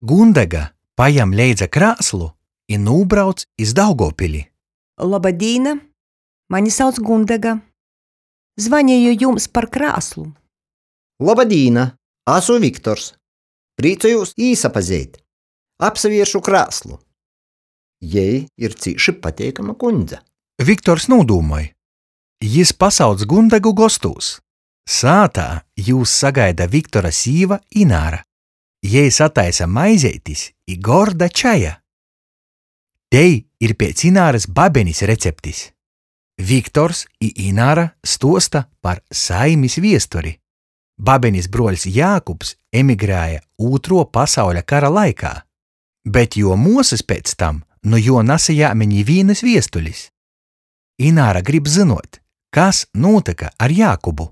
Gundega pajam leidza krāslu i nūbrauc iz Daugovpili. Loba dīna! Mani sauc Gundega. Zvaneju jums par krāslu. Loba dīna! Asu Viktors. Prīcojūs īsapazeit. Apsavieršu krāslu. Jei ir cīši pateikama kuņdze. Viktors nūdūmoj. Jis pasauc Gundegu gostūs. Sātā jūs sagaida Viktora sīva Ināra. Jei sataisa maizeitis i gorda čaja. Tei ir piec Inārys babenis receptis. Viktors i Ināra stuosta par saimis viesturi. Babenis bruoļs Jākubs emigrēja Ūtruo pasauļa kara laikā, bet juo muosys pēc tam nu juo nasajēme nivīnys viestulis. Ināra grib zynuot, kas nūtyka ar Jākubu.